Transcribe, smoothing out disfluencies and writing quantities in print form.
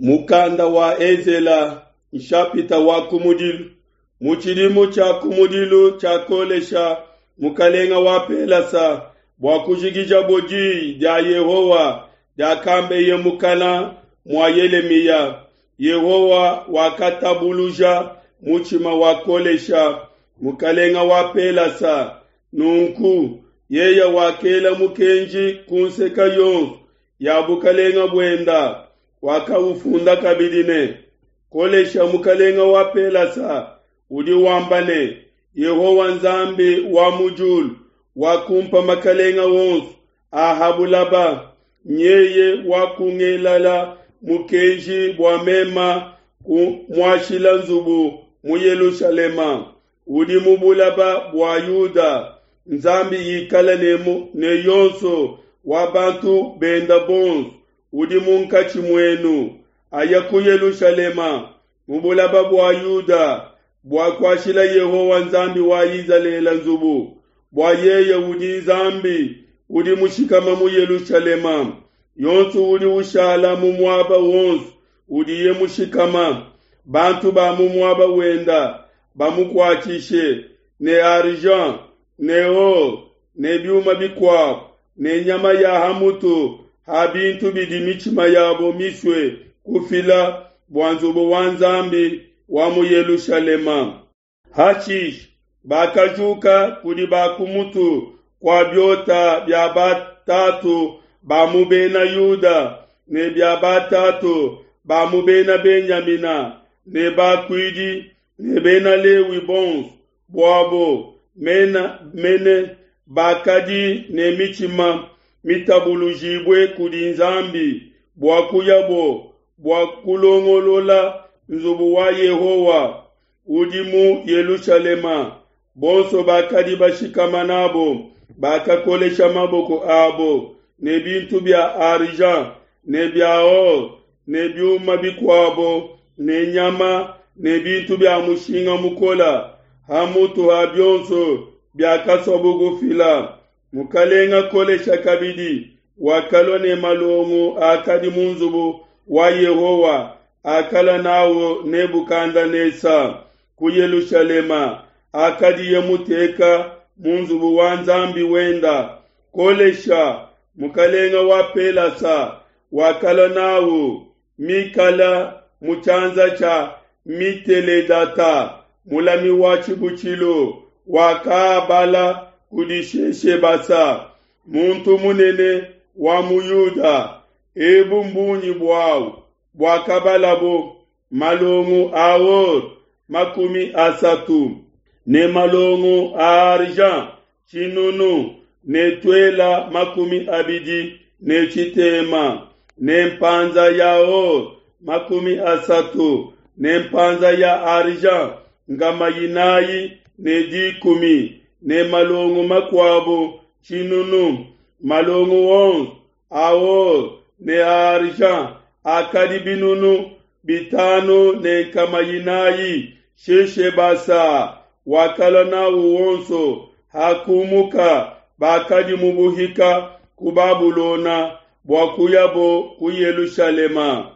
Mukanda wa Ezela nshapita wa kumudilu. Mu tshidimu tshia kumudilu tshia Kolesha mukalenga wa Pelasa bua kujikijabo diyi dia Yehowa diakambeye mukana mua Yelemiya, Yehowa wakatabuluja mutshima wa Kolesha mukalenga wa Pelasa. Nunku yeye wakela mukenji ku nseka yonso ya bukalenga buenda, wakaufunda kabidi ne, Kolesha mukalenga wa Pelasa udi wamba ne, Yehowa Nzambi wa mu diulu wakumpa makalenga onso a ha bulaba, nyeye wakungelala mukenji bua mema kumuashila nzubu mu Yelushalema udi mu bulaba bua Yuda. Nzambi ikale ne, ne yonso wa bantu benda bonso udi munkatshi muenu, aya ku Yelushalema mu bulaba bua Yuda bua kuashila Yehowa Nzambi wa Izalele nzubu, bua yeye udi Nzambi udi mushikama mu Yelushalema. Yonso udi ushala mu muaba wonso udiye mushikama, bantu ba mu muaba wenda bamukuatshishe ne argent ne or ne biuma bikuabo ne nyama ya hamutu ha bintu bidi mitshima yabo misue kufila bua nzubu wa Nzambi wa mu Yelushalema. Hashishe bakajuka kudi ba ku mutu kua biota bia batatu ba mu bena Yuda ne bia batatu ba mu bena Benyamina ne bakuidi ne bena Lewi bonso buabo mena mene bakadi ne mitshima mitabulujibue kudi Nzambi bua kuyabo bua kulongolola nzubu wa Yehowa udi mu Yelushalema. Bonso bakadi bashikama nabo bakakolesha maboko abo ne bintu bia argent ne bia or ne biuma bikuabo ne nyama ne bintu bia mushinga mukola hamutu ha bionso biakasuabo kufila. Mukalenga Kolesha kabidi wakalua ne malongo akadi mu nzubu wa Yehowa akala nawo Nebukadenesa ku Yelushalema akadiye muteka mu nzubu wa Nzambi wenda. Kolesha mukalenga wa Pelasa wakala nawo mikala mu tshianza tshia Miteledata mulami wa tshibutshilu wakaabala kudi Sheshebasa muntu munene wa mu Yuda. Ebu mbungi buawu buakabalabo malongo a or 30 ne malongo a argent 100 ne tuela 26 ne mpanza ya or 30 ne mpanza ya argent 410 ne malongo makuabo 100 malongo onso a or ne a argent akadi 5400. Sheshebasa wakala nawo wonso hakumuka bakadi mu buhika ku Babulona bua kuyabo ku Yelushalema.